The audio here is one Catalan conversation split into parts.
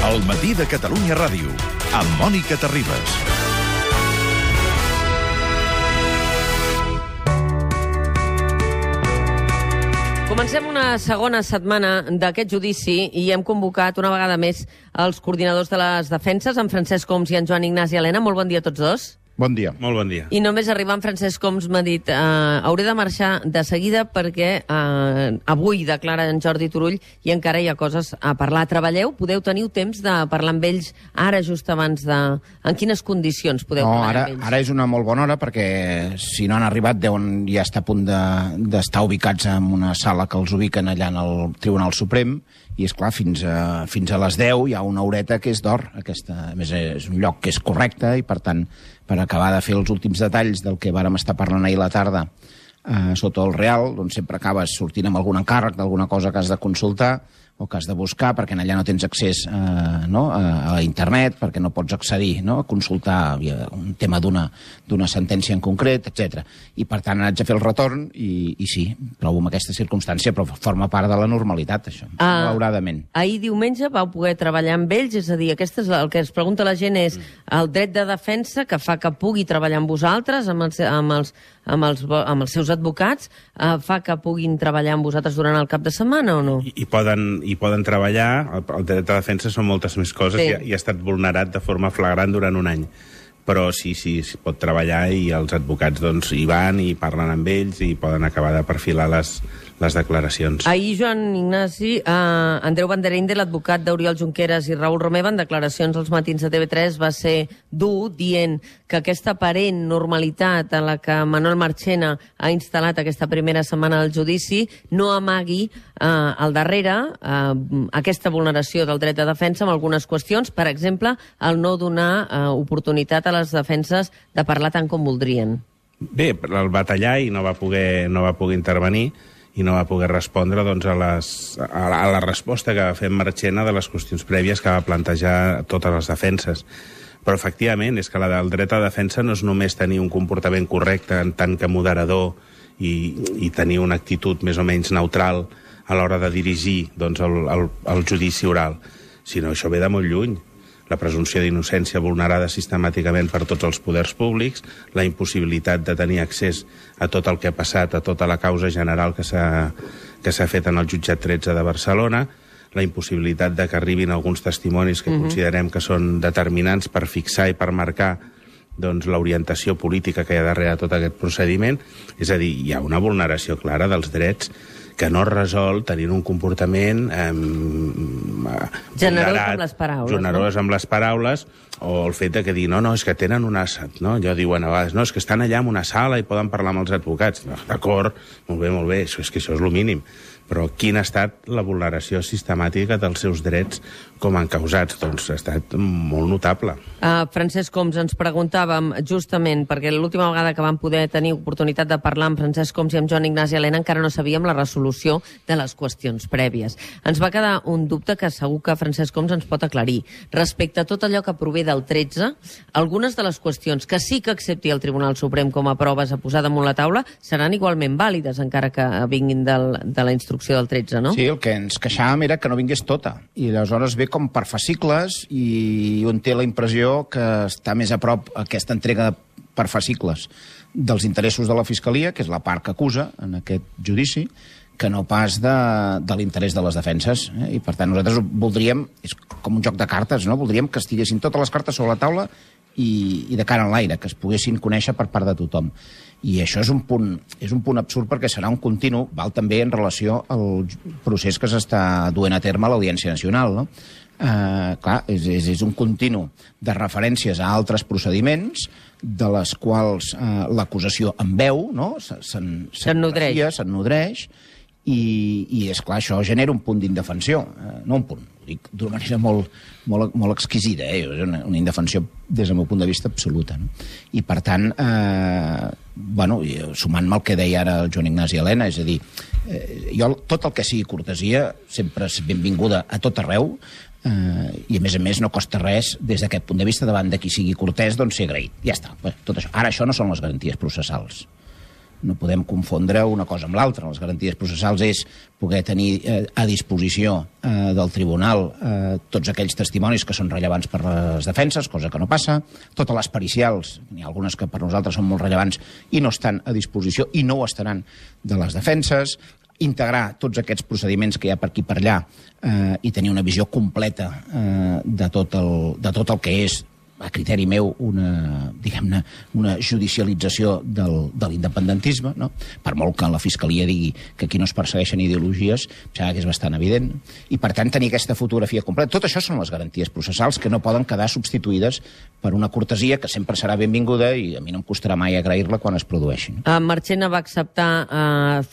El matí de Catalunya Ràdio, amb Mònica Terribas. Comencem una segona setmana d'aquest judici i hem convocat una vegada més els coordinadors de les defenses, en Francesc Homs i en Joan Ignasi Elena. Molt bon dia a tots dos. Bon dia. Molt bon dia. I només arribar en Francesc Homs m'ha dit hauré de marxar de seguida perquè avui declara en Jordi Turull i encara hi ha coses a parlar. Treballeu? Teniu temps de parlar amb ells ara just abans de... En quines condicions podeu parlar amb ells? Ara és una molt bona hora perquè si no han arribat deuen ja estar a punt d'estar ubicats en una sala que els ubiquen allà en el Tribunal Suprem i, és clar, fins a les 10 hi ha una horeta que és d'or. A més, és un lloc que és correcte i, per tant, per acabar de fer els últims detalls del que vàrem estar parlant ahir a la tarda sota el Real, doncs sempre acabes sortint amb algun encàrrec d'alguna cosa que has de consultar o que has de buscar, perquè allà no tens accés a internet, perquè no pots accedir a consultar un tema d'una sentència en concret, etc. I, per tant, haig de fer el retorn i sí, trobo en aquesta circumstància, però forma part de la normalitat, això, malauradament. Ahir diumenge vau poder treballar amb ells, és a dir, el que es pregunta la gent és el dret de defensa que fa que pugui treballar amb vosaltres, amb els seus advocats, fa que puguin treballar amb vosaltres durant el cap de setmana o no? I poden treballar, el dret de defensa són moltes més coses, sí. I ha estat vulnerat de forma flagrant durant un any. Però sí, es pot treballar i els advocats doncs, hi van i parlen amb ells i poden acabar de perfilar les declaracions. Ahir, Joan Ignasi, Andreu Banderinde, l'advocat d'Oriol Junqueras i Raül Romeva, en declaracions als matins de TV3, va ser dur, dient que aquesta aparent normalitat en la que Manuel Marchena ha instal·lat aquesta primera setmana del judici no amagui al darrere aquesta vulneració del dret de defensa amb algunes qüestions, per exemple, el no donar oportunitat a les defenses de parlar tant com voldrien. Bé, el va tallar i no va poder intervenir i no va poder respondre doncs, a la resposta que va fer Marchena de les qüestions prèvies que va plantejar totes les defenses. Però, efectivament, és que el dret a defensa no és només tenir un comportament correcte en tant que moderador i tenir una actitud més o menys neutral a l'hora de dirigir doncs, el judici oral, sinó això ve de molt lluny. La presumpció d'innocència vulnerada sistemàticament per tots els poders públics, la impossibilitat de tenir accés a tot el que ha passat, a tota la causa general que s'ha fet en el jutjat 13 de Barcelona, la impossibilitat de que arribin alguns testimonis que considerem que són determinants per fixar i per marcar doncs, l'orientació política que hi ha darrere tot aquest procediment. És a dir, hi ha una vulneració clara dels drets que no es resol tenint un comportament generós amb les paraules, o el fet de que dir, no, és que tenen una... No? Jo diuen a vegades, no, és que estan allà en una sala i poden parlar amb els advocats. D'acord, molt bé, això és el mínim. Però quina ha estat la vulneració sistemàtica dels seus drets com a encausats? Doncs ha estat molt notable. Francesc Homs, ens preguntàvem justament, perquè l'última vegada que vam poder tenir oportunitat de parlar amb Francesc Homs i amb Joan Ignasi Elena encara no sabíem la resolució de les qüestions prèvies. Ens va quedar un dubte que segur que Francesc Homs ens pot aclarir. Respecte a tot allò que prové del 13, algunes de les qüestions que sí que accepti el Tribunal Suprem com a proves a posar damunt la taula seran igualment vàlides, encara que vinguin de la instrucció del 13, no? Sí, el que ens queixàvem era que no vingués tota. I aleshores ve com per fascicles i un té la impressió que està més a prop aquesta entrega per fascicles dels interessos de la Fiscalia, que és la part que acusa en aquest judici, que no pas de l'interès de les defenses. I, per tant, nosaltres voldríem, és com un joc de cartes, no? Voldríem que estiguessin totes les cartes sobre la taula i de cara en l'aire, que es poguessin conèixer per part de tothom. I això és un punt absurd perquè serà un continu, val també en relació al procés que s'està duent a terme a l'Audiència Nacional, no? Clar, és un continu de referències a altres procediments de les quals l'acusació en veu, no? Se'n nodreix i és clar, això genera un punt d'indefensió, no un punt, ho dic d'una manera molt exquisida, és una indefensió des del meu punt de vista absoluta, no? I per tant, sumant-me el que deia ara el Joan Ignasi Elena, és a dir, jo tot el que sigui cortesia sempre és benvinguda a tot arreu, i a més no costa res des d'aquest punt de vista davant de qui sigui cortès, doncs ser agraït, ja està, tot això. Ara això no són les garanties processals. No podem confondre una cosa amb l'altra. Les garanties processals és poder tenir a disposició del tribunal tots aquells testimonis que són rellevants per les defenses, cosa que no passa. Totes les pericials, n'hi ha algunes que per nosaltres són molt rellevants i no estan a disposició i no ho estaran de les defenses. Integrar tots aquests procediments que hi ha per aquí per allà i tenir una visió completa de tot el que és, a criteri meu, diguem-ne, una judicialització de l'independentisme, no? Per molt que la Fiscalia digui que aquí no es persegueixen ideologies, que és bastant evident. I, per tant, tenir aquesta fotografia completa. Tot això són les garanties processals que no poden quedar substituïdes per una cortesia que sempre serà benvinguda i a mi no em costarà mai agrair-la quan es produeixi. Marchena va acceptar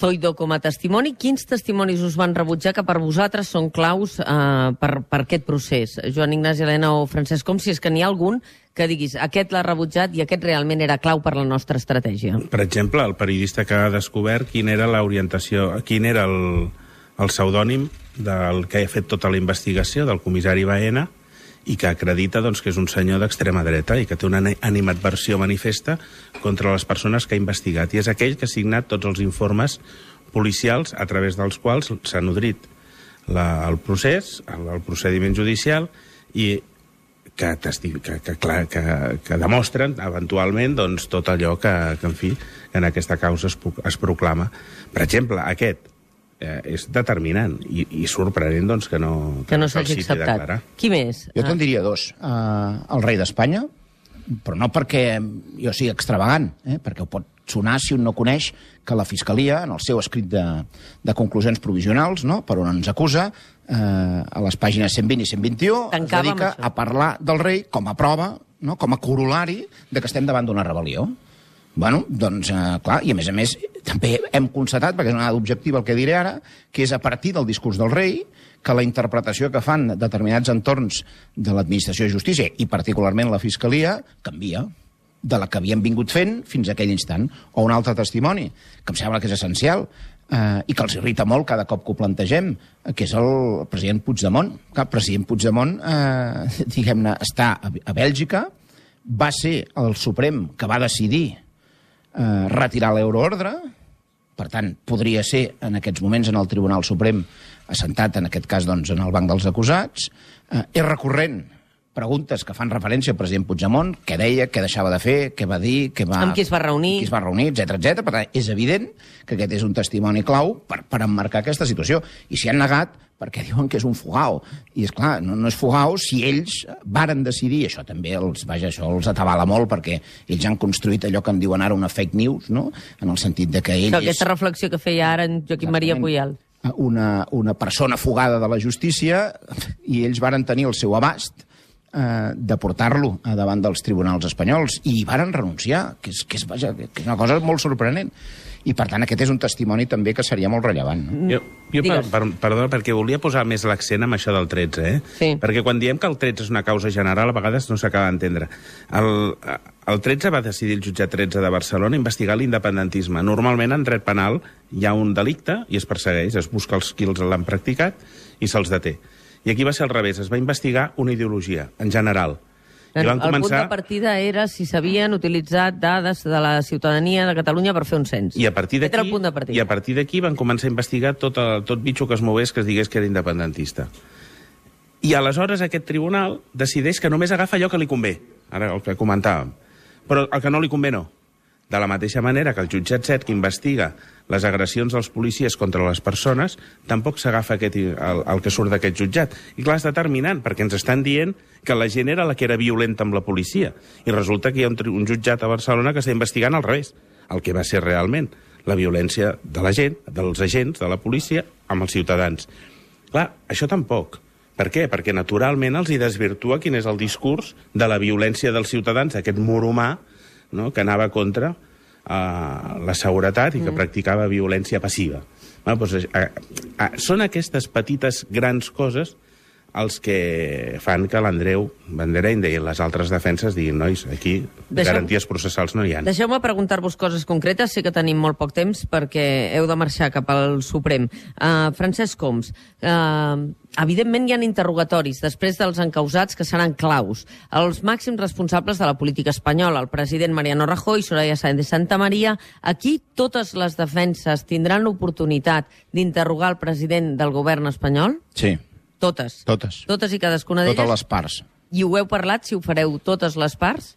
Zoido com a testimoni. Quins testimonis us van rebutjar que per vosaltres són claus per aquest procés? Joan Ignasi, Helena o Francesc, com si és que n'hi ha algun que diguis, aquest l'ha rebutjat i aquest realment era clau per la nostra estratègia. Per exemple, el periodista que ha descobert quina era l'orientació, quin era el pseudònim del que ha fet tota la investigació, del comissari Baena, i que acredita doncs, que és un senyor d'extrema dreta i que té una animadversió manifesta contra les persones que ha investigat. I és aquell que ha signat tots els informes policials a través dels quals s'ha nodrit el procés, el procediment judicial, i que demostren eventualment doncs, tot allò que en fi, en aquesta causa es proclama. Per exemple, aquest és determinant i sorprenent doncs, que no s'hagi acceptat. Qui més? Jo te'n diria dos. El rei d'Espanya, però no perquè jo sigui extravagant, perquè ho pot sonar si un no coneix que la Fiscalia, en el seu escrit de conclusions provisionals, no, per on ens acusa, a les pàgines 120 i 121, es dedica a parlar del rei com a prova, no, com a corolari de que estem davant d'una rebel·lió. Bueno, doncs, clar, i a més, també hem constatat, perquè és una dada objectiva el que diré ara, que és a partir del discurs del rei que la interpretació que fan determinats entorns de l'administració de justícia, i particularment la Fiscalia, canvia de la que havien vingut fent fins a aquell instant. O un altre testimoni, que em sembla que és essencial, i que els irrita molt cada cop que ho plantegem, que és el president Puigdemont. El president Puigdemont, diguem-ne, està a Bèlgica, va ser el Suprem que va decidir retirar l'euroordre, per tant, podria ser en aquests moments en el Tribunal Suprem assentat, en aquest cas, doncs, en el banc dels acusats. És recurrent preguntes que fan referència al president Puigdemont, què deia, què deixava de fer, què va dir, amb qui es va reunir, etc. Per tant, és evident que aquest és un testimoni clau per emmarcar aquesta situació. I s'hi han negat perquè diuen que és un fugao. I, és clar, no és fugao si ells varen decidir, això també els atabala molt, perquè ells han construït allò que en diuen ara una fake news, no? En el sentit de que ells... Aquesta reflexió que feia ara en Joaquim Maria Puyal. Una persona fugada de la justícia, i ells varen tenir el seu abast de portar-lo davant dels tribunals espanyols, i varen renunciar, que és una cosa molt sorprenent. I, per tant, aquest és un testimoni també que seria molt rellevant. No? Perdona, perquè volia posar més l'accent en això del 13, Sí. Perquè quan diem que el 13 és una causa general, a vegades no s'acaba d'entendre. El 13 va decidir el jutjat 13 de Barcelona investigar l'independentisme. Normalment, en dret penal, hi ha un delicte i es persegueix, es busca els qui l'han practicat i se'ls deté. I aquí va ser al revés, es va investigar una ideologia, en general. El punt de partida era si s'havien utilitzat dades de la ciutadania de Catalunya per fer un cens. I a partir d'aquí van començar a investigar tot bitxo que es mogués que es digués que era independentista. I aleshores aquest tribunal decideix que només agafa allò que li convé, ara el que comentàvem, però el que no li convé no. De la mateixa manera que el jutjat 7, que investiga les agressions dels policies contra les persones, tampoc s'agafa el que surt d'aquest jutjat. I clar, és determinant, perquè ens estan dient que la gent era la que era violenta amb la policia. I resulta que hi ha un jutjat a Barcelona que està investigant al revés, el que va ser realment la violència de la gent, dels agents de la policia, amb els ciutadans. Clar, això tampoc. Per què? Perquè naturalment els hi desvirtua quin és el discurs de la violència dels ciutadans, aquest mur humà, no?, que anava contra la seguretat i que practicava violència passiva. Bueno, doncs, són aquestes petites grans coses els que fan que l'Andreu Bandereinde i les altres defenses diguin, nois, aquí garanties processals no hi ha. Deixeu-me preguntar-vos coses concretes, sé que tenim molt poc temps perquè heu de marxar cap al Suprem. Francesc Homs, evidentment hi ha interrogatoris després dels encausats que seran claus. Els màxims responsables de la política espanyola, el president Mariano Rajoy, Soraya Sáenz de Santamaría, aquí totes les defenses tindran l'oportunitat d'interrogar el president del govern espanyol? Sí. Totes? Totes. Totes i cadascuna d'elles? Totes les parts. I ho heu parlat, si ho fareu totes les parts?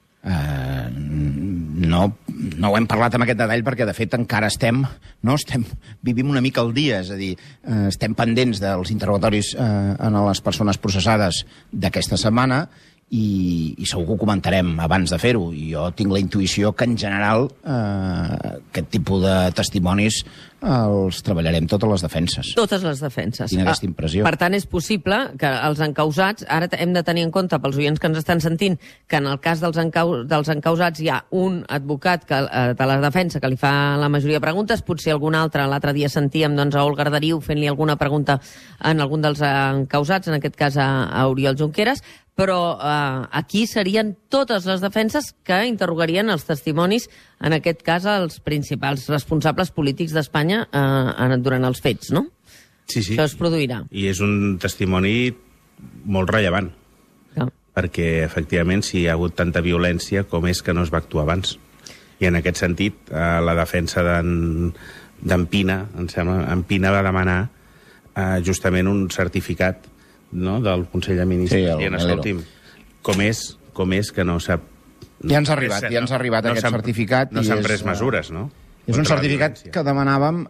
No ho hem parlat amb aquest detall perquè, de fet, encara vivim una mica al dia, és a dir, estem pendents dels interrogatoris a les persones processades d'aquesta setmana i segur que ho comentarem abans de fer-ho. I jo tinc la intuïció que, en general, aquest tipus de testimonis els treballarem totes les defenses. Totes les defenses. Tinc aquesta impressió. Per tant, és possible que els encausats, ara hem de tenir en compte, pels oients que ens estan sentint, que en el cas dels encausats hi ha un advocat de la defensa que li fa la majoria de preguntes, potser algun altre, l'altre dia sentíem a Olga Arderiu fent-li alguna pregunta en algun dels encausats, en aquest cas a Oriol Junqueras, però aquí serien totes les defenses que interrogarien els testimonis, en aquest cas els principals responsables polítics d'Espanya durant els fets, no? Sí. Això es produirà. I és un testimoni molt rellevant, perquè, efectivament, si hi ha hagut tanta violència, com és que no es va actuar abans? I en aquest sentit, la defensa d'en Pina, em sembla, en Pina va demanar justament un certificat, no?, del Consell de Ministres. Sí, dient, escolti'm, com és que no s'ha... Ja ens ha arribat aquest certificat. No s'han pres mesures, no? És un certificat que demanàvem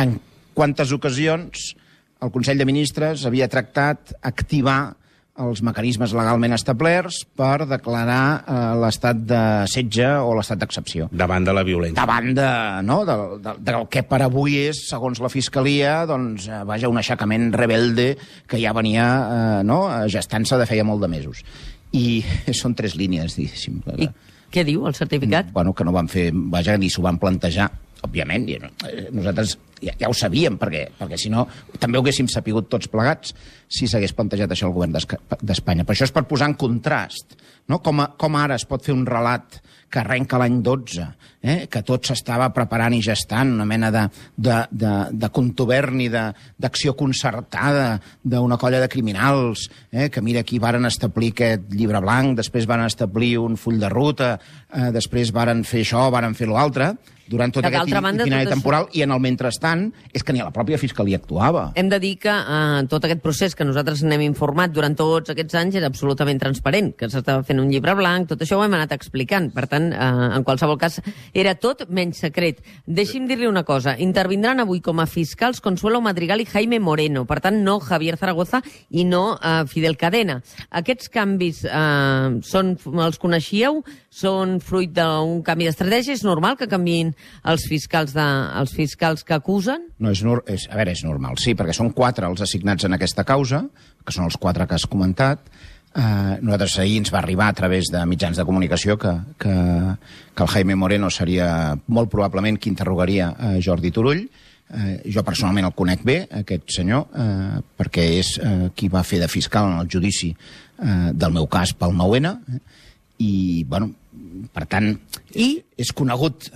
en quantes ocasions el Consell de Ministres havia tractat activar els mecanismes legalment establerts per declarar l'estat de setge o l'estat d'excepció. Davant de la violència. Davant del que per avui és, segons la Fiscalia, doncs, un aixecament rebelde que ja venia gestant-se de feia molt de mesos. I són 3 línies, diguéssim. I què diu el certificat? Bueno, que no van fer, ni s'ho van plantejar, òbviament, nosaltres ja ho sabíem, perquè si no també ho haguéssim sapigut tots plegats si s'hagués plantejat això al govern d'Espanya. Però això és per posar en contrast, no? Com ara es pot fer un relat que arrenca l'any 12, que tot s'estava preparant i gestant, una mena de contuberni, d'acció concertada d'una colla de criminals, que mira, aquí varen establir aquest llibre blanc, després van establir un full de ruta, després varen fer això, varen fer l'altre, durant tot aquest itinerari temporal, i en el mentrestant és que ni a la pròpia Fiscalia actuava. Hem de dir que tot aquest procés que nosaltres n'hem informat durant tots aquests anys era absolutament transparent, que s'estava fent un llibre blanc, tot això ho hem anat explicant. Per tant, en qualsevol cas, era tot menys secret. Deixi'm dir-li una cosa. Intervindran avui com a fiscals Consuelo Madrigal i Jaime Moreno. Per tant, no Javier Zaragoza i no Fidel Cadena. Aquests canvis els coneixíeu? Són fruit d'un canvi d'estratègia? És normal que canviïn els fiscals que acusen? No, és normal, sí, perquè són 4 els assignats en aquesta causa, que són els 4 que has comentat. Nosaltres ahir ens va arribar a través de mitjans de comunicació que el Jaime Moreno seria molt probablement qui interrogaria Jordi Turull. Jo personalment el conec bé, aquest senyor, perquè és qui va fer de fiscal en el judici del meu cas pel 9-N, i, bueno, per tant, és conegut.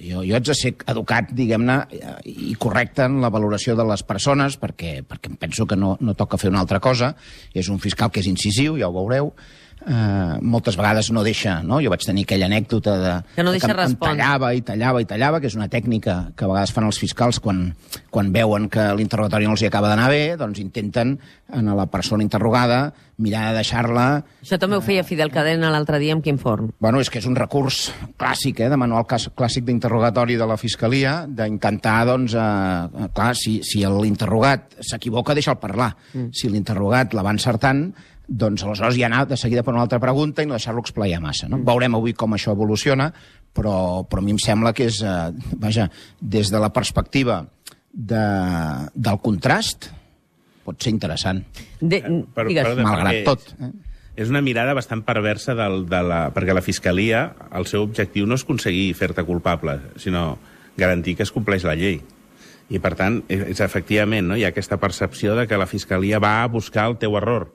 Jo haig de ser educat, diguem-ne, i correcte en la valoració de les persones, perquè em penso que no toca fer una altra cosa. És un fiscal que és incisiu, ja ho veureu. Moltes vegades no deixa, no? Jo vaig tenir aquella anècdota que no deixa respondre. Tallava, que és una tècnica que a vegades fan els fiscals quan veuen que l'interrogatori no els hi acaba d'anar bé, doncs intenten a la persona interrogada mirar de deixar-la... Això també ho feia Fidel Cadena l'altre dia amb Quim Forn. Bueno, és que és un recurs clàssic, de manual clàssic d'interrogatori de la Fiscalia, d'intentar, doncs, clar, si l'interrogat s'equivoca, deixa'l parlar. Si l'interrogat la va encertant, doncs aleshores ja anar de seguida per una altra pregunta i no deixar-lo explaiar massa. No? Veurem avui com això evoluciona, però a mi em sembla que és, des de la perspectiva del contrast, pot ser interessant. Malgrat tot. És una mirada bastant perversa perquè la Fiscalia, el seu objectiu no és aconseguir fer-te culpable, sinó garantir que es compleix la llei. I, per tant, és efectivament, no? Hi ha aquesta percepció de que la Fiscalia va a buscar el teu error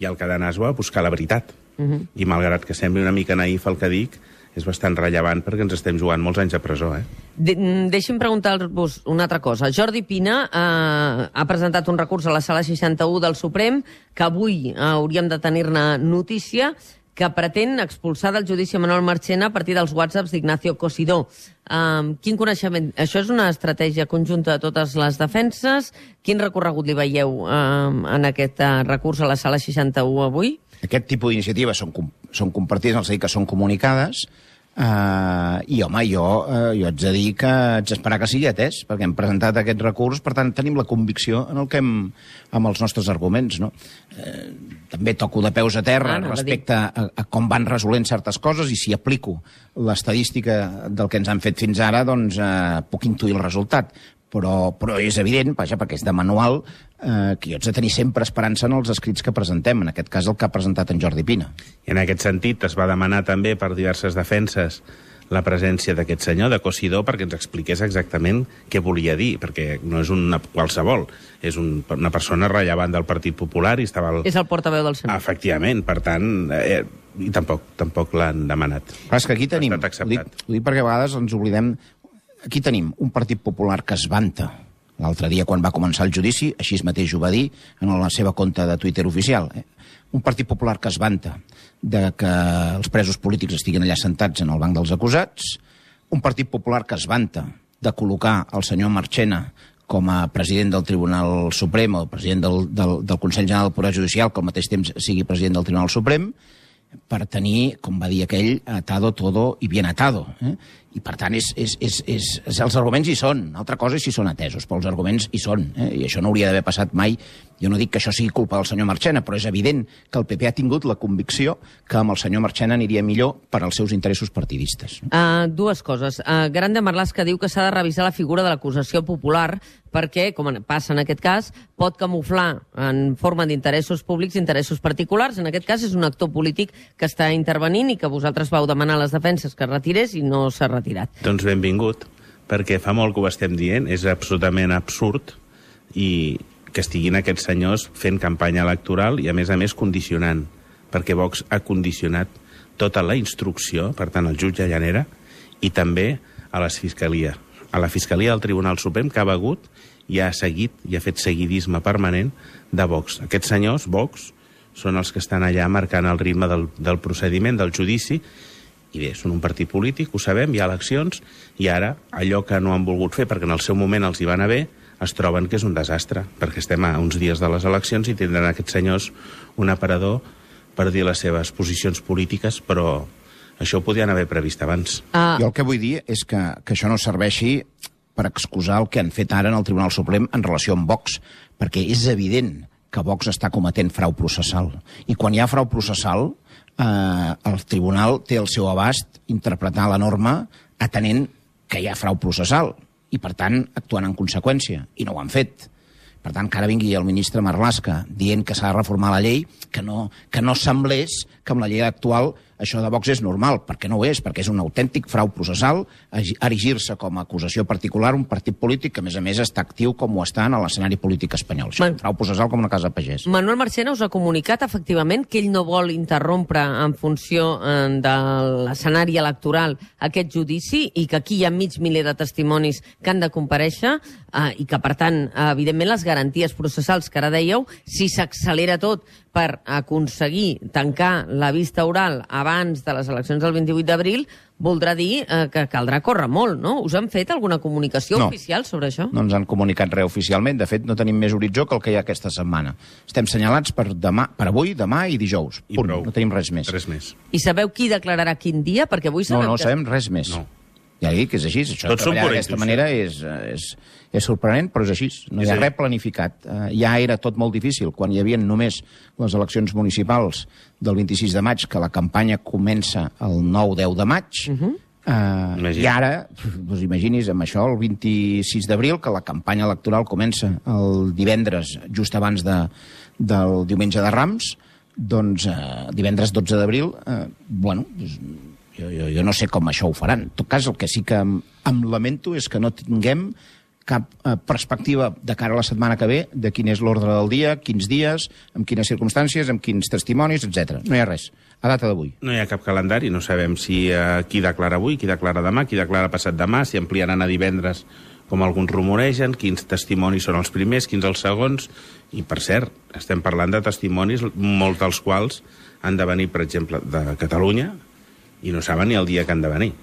i el Cadenàs va a buscar la veritat. I malgrat que sembli una mica naïf el que dic, és bastant rellevant perquè ens estem jugant molts anys a presó, Deixi'm preguntar-vos una altra cosa. Jordi Pina ha presentat un recurs a la Sala 61 del Suprem, que avui hauríem de tenir-ne notícia, que pretén expulsar del judici Manuel Marchena a partir dels whatsapps d'Ignacio Cosidó. Quin coneixement... Això és una estratègia conjunta de totes les defenses? Quin recorregut li veieu en aquest recurs a la Sala 61 avui? Aquest tipus d'iniciatives són compartides, és a dir, que són comunicades, i, home, jo haig de dir que haig d'esperar que sigui atès, perquè hem presentat aquest recurs, per tant, tenim la convicció en el que amb els nostres arguments, no? També toco de peus a terra respecte a com van resolent certes coses, i si aplico l'estadística del que ens han fet fins ara, doncs puc intuir el resultat. Però és evident, vaja, perquè és de manual, que jo haig de tenir sempre esperança en els escrits que presentem, en aquest cas el que ha presentat en Jordi Pina. I en aquest sentit es va demanar també per diverses defenses la presència d'aquest senyor, de Cosidó, perquè ens expliqués exactament què volia dir, perquè no és una qualsevol, és una persona rellevant del Partit Popular i estava... És el portaveu del Senat. Efectivament, per tant, i tampoc l'han demanat. Però és que aquí tenim, ho dic perquè a vegades ens oblidem. Aquí tenim un Partit Popular que es vanta. L'altre dia, quan va començar el judici, així mateix ho va dir en la seva compte de Twitter oficial. Un Partit Popular que es vanta de que els presos polítics estiguin allà sentats en el banc dels acusats. Un Partit Popular que es vanta de col·locar el senyor Marchena com a president del Tribunal Suprem o president del Consell General del Poder Judicial, que al mateix temps sigui president del Tribunal Suprem, per tenir, com va dir aquell, atado todo y bien atado. I, per tant, els arguments hi són. Altra cosa és si són atesos, però els arguments hi són. I això no hauria d'haver passat mai. Jo no dic que això sigui culpa del senyor Marchena, però és evident que el PP ha tingut la convicció que amb el senyor Marchena aniria millor per als seus interessos partidistes. Dues coses. Grande Marlaska diu que s'ha de revisar la figura de l'acusació popular perquè, com passa en aquest cas, pot camuflar en forma d'interessos públics interessos particulars. En aquest cas és un actor polític que està intervenint i que vosaltres vau demanar a les defenses que retirés i no s'ha retirat. Doncs benvingut, perquè fa molt que ho estem dient, és absolutament absurd i que estiguin aquests senyors fent campanya electoral i, a més condicionant, perquè Vox ha condicionat tota la instrucció, per tant, el jutge Llanera, i també a la Fiscalia del Tribunal Suprem, que ha begut i ha seguit i ha fet seguidisme permanent de Vox. Aquests senyors, Vox, són els que estan allà marcant el ritme del procediment, del judici, i bé, són un partit polític, ho sabem, hi ha eleccions, i ara allò que no han volgut fer, perquè en el seu moment els hi va anar bé, es troben que és un desastre, perquè estem a uns dies de les eleccions i tindran aquests senyors un aparador per dir les seves posicions polítiques, però això ho podien haver previst abans. Jo el que vull dir és que això no serveixi per excusar el que han fet ara en el Tribunal Suprem en relació amb Vox, perquè és evident que Vox està cometent frau processal. I quan hi ha frau processal, el tribunal té el seu abast interpretar la norma atenent que hi ha frau processal i, per tant, actuant en conseqüència. I no ho han fet. Per tant, que ara vingui el ministre Marlaska dient que s'ha de reformar la llei, que no semblés que amb la llei actual això de Vox és normal, perquè no ho és, perquè és un autèntic frau processal erigir-se com a acusació particular un partit polític que, a més, està actiu com ho està en l'escenari polític espanyol. Això és un frau processal com una casa pagès. Manuel Marchena us ha comunicat, efectivament, que ell no vol interrompre en funció de l'escenari electoral aquest judici i que aquí hi ha mig miler de testimonis que han de comparèixer i que, per tant, evidentment, les garanties processals que ara dèieu, si s'accelera tot per aconseguir tancar la vista oral abans de les eleccions del 28 d'abril, voldrà dir que caldrà córrer molt, no? Us han fet alguna comunicació oficial sobre això? No ens han comunicat res oficialment. De fet, no tenim més horitzó que el que hi ha aquesta setmana. Estem senyalats per avui, demà i dijous. Punt. No tenim res més. Res més. I sabeu qui declararà quin dia? Perquè avui sabem No sabem res més. No. Ja dic que és així. Això de treballar d'aquesta manera és sorprenent, però és així. No hi ha res planificat. Ja era tot molt difícil quan hi havia només les eleccions municipals del 26 de maig, que la campanya comença el 9-10 de maig. I ara, doncs imagini's, amb això, el 26 d'abril, que la campanya electoral comença el divendres, just abans del diumenge de Rams, doncs divendres 12 d'abril, jo no sé com això ho faran. En tot cas, el que sí que em lamento és que no tinguem cap perspectiva de cara a la setmana que ve, de quin és l'ordre del dia, quins dies, amb quines circumstàncies, amb quins testimonis, etc. No hi ha res, a data d'avui. No hi ha cap calendari, no sabem si qui declara avui, qui declara demà, qui declara passat demà, si ampliaran a divendres, com alguns rumoregen, quins testimonis són els primers, quins els segons, i per cert, estem parlant de testimonis, molts dels quals han de venir, per exemple, de Catalunya, i no saben ni el dia que han de venir.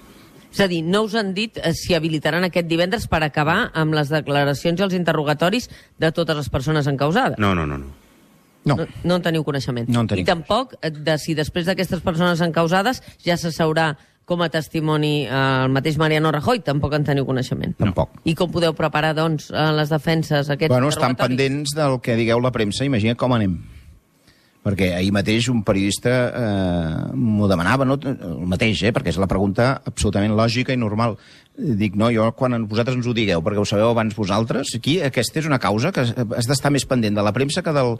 És a dir, no us han dit si habilitaran aquest divendres per acabar amb les declaracions i els interrogatoris de totes les persones encausades? No. No. No en teniu coneixement. No en tenim. I tampoc de si després d'aquestes persones encausades ja se sabrà com a testimoni el mateix Mariano Rajoy, tampoc en teniu coneixement. Tampoc. I com podeu preparar, doncs, les defenses, aquests Estan interrogatoris? pendents del que digueu la premsa, imagina com anem. Perquè ahir mateix un periodista m'ho demanava, no? El mateix, perquè és la pregunta absolutament lògica i normal. Dic, no, jo quan vosaltres ens ho digueu, perquè ho sabeu abans vosaltres, aquí aquesta és una causa que has d'estar més pendent de la premsa que del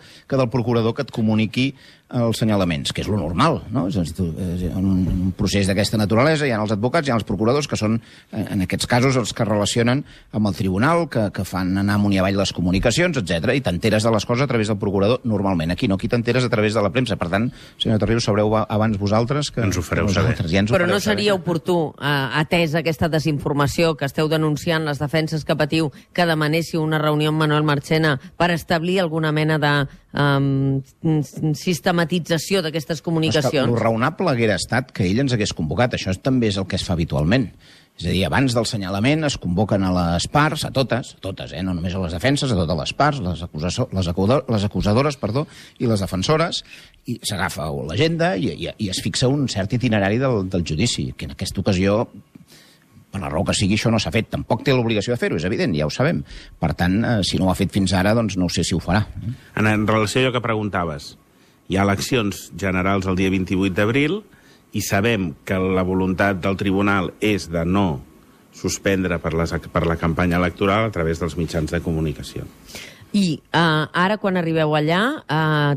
procurador que et comuniqui els senyalaments, que és lo normal, no? És a dir, en un procés d'aquesta naturalesa hi ha els advocats, hi ha els procuradors, que són, en aquests casos, els que relacionen amb el tribunal, que fan anar amunt i avall les comunicacions, etc. I t'enteres de les coses a través del procurador, normalment. Aquí no, aquí t'enteres a través de la premsa. Per tant, senyor Tarrius, sabreu abans vosaltres que... Ens ho fareu saber. Ja Però no seria oportú, atès aquesta desinformació que esteu denunciant, les defenses que patiu, que demanéssiu una reunió amb Manuel Marchena per establir alguna mena de sistematització d'aquestes comunicacions? En relació a allò que preguntaves, hi ha eleccions generals el dia 28 d'abril i sabem que la voluntat del tribunal és de no suspendre per la campanya electoral a través dels mitjans de comunicació. I ara, quan arribeu allà,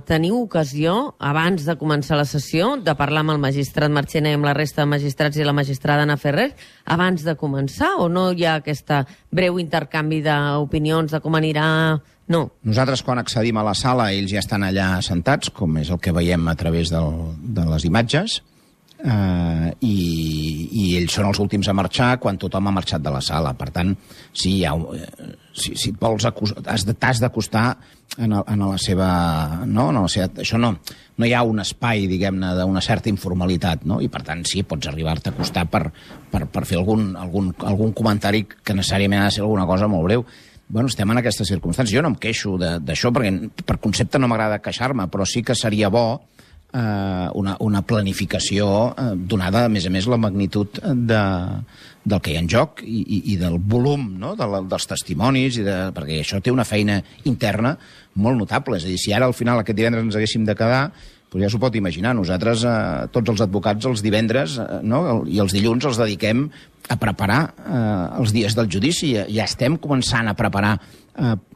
teniu ocasió, abans de començar la sessió, de parlar amb el magistrat Marchena i amb la resta de magistrats i la magistrada Ana Ferrer, abans de començar, o no hi ha aquest breu intercanvi d'opinions de com anirà? No. Nosaltres, quan accedim a la sala, ells ja estan allà sentats, com és el que veiem a través de les imatges, i ells són els últims a marxar quan tothom ha marxat de la sala. Per tant, si et vols t'has d'acostar en la seva... Això no hi ha un espai, diguem-ne, d'una certa informalitat, no? I per tant, sí, pots arribar-te a acostar per fer algun comentari que necessàriament ha de ser alguna cosa molt breu. Bueno, estem en aquestes circumstàncies. Jo no em queixo d'això, perquè per concepte no m'agrada queixar-me, però sí que seria bo una planificació donada, a més, la magnitud del que hi ha en joc i del volum, no? dels testimonis, perquè això té una feina interna molt notable. És a dir, si ara al final aquest divendres ens haguéssim de quedar, doncs ja s'ho pot imaginar. Nosaltres, tots els advocats, els divendres i els dilluns els dediquem a preparar els dies del judici. Ja estem començant a preparar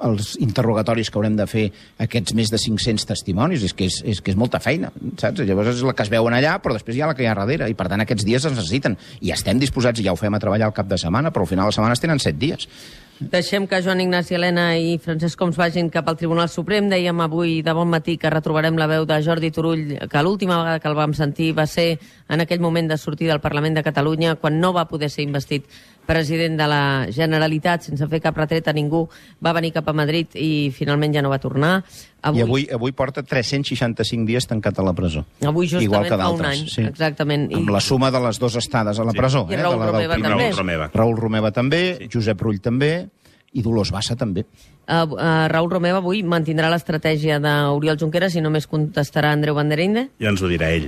els interrogatoris que haurem de fer aquests més de 500 testimonis. És que és molta feina, saps? Llavors és la que es veuen allà, però després hi ha la que hi ha darrere, i per tant aquests dies es necessiten. I estem disposats, i ja ho fem a treballar al cap de setmana, però al final de la setmana es tenen 7 dies. Deixem que Joan Ignasi Elena i Francesc Homs vagin cap al Tribunal Suprem. Dèiem avui de bon matí que retrobarem la veu de Jordi Turull, que l'última vegada que el vam sentir va ser en aquell moment de sortir del Parlament de Catalunya, quan no va poder ser investit president de la Generalitat, sense fer cap retret a ningú. Va venir cap a Madrid i finalment ja no va tornar. I avui porta 365 dies tancat a la presó. Avui justament igual que fa un any, sí. Exactament. Amb la suma de les 2 estades a la presó. I Raül Romeva també. Raül Romeva també, sí. Josep Rull també, i Dolors Bassa també. Raül Romeva avui mantindrà l'estratègia d'Oriol Junqueras i només contestarà Andreu Bandereinde? Ja ens ho dirà ell.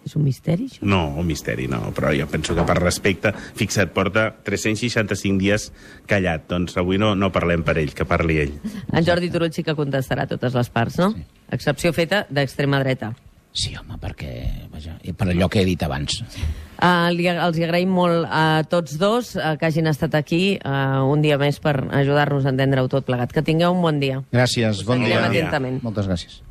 És un misteri, això? No, un misteri no, però jo penso que per respecte, fixa't, porta 365 dies callat, doncs avui no parlem per ell, que parli ell. En Jordi Turull sí que contestarà totes les parts, no? Sí. Excepció feta d'extrema dreta. Sí, home, perquè, vaja, per allò que he dit abans. Els agraïm molt a tots dos que hagin estat aquí un dia més per ajudar-nos a entendre-ho tot plegat. Que tingueu un bon dia. Gràcies, bon dia. Atentament. Moltes gràcies.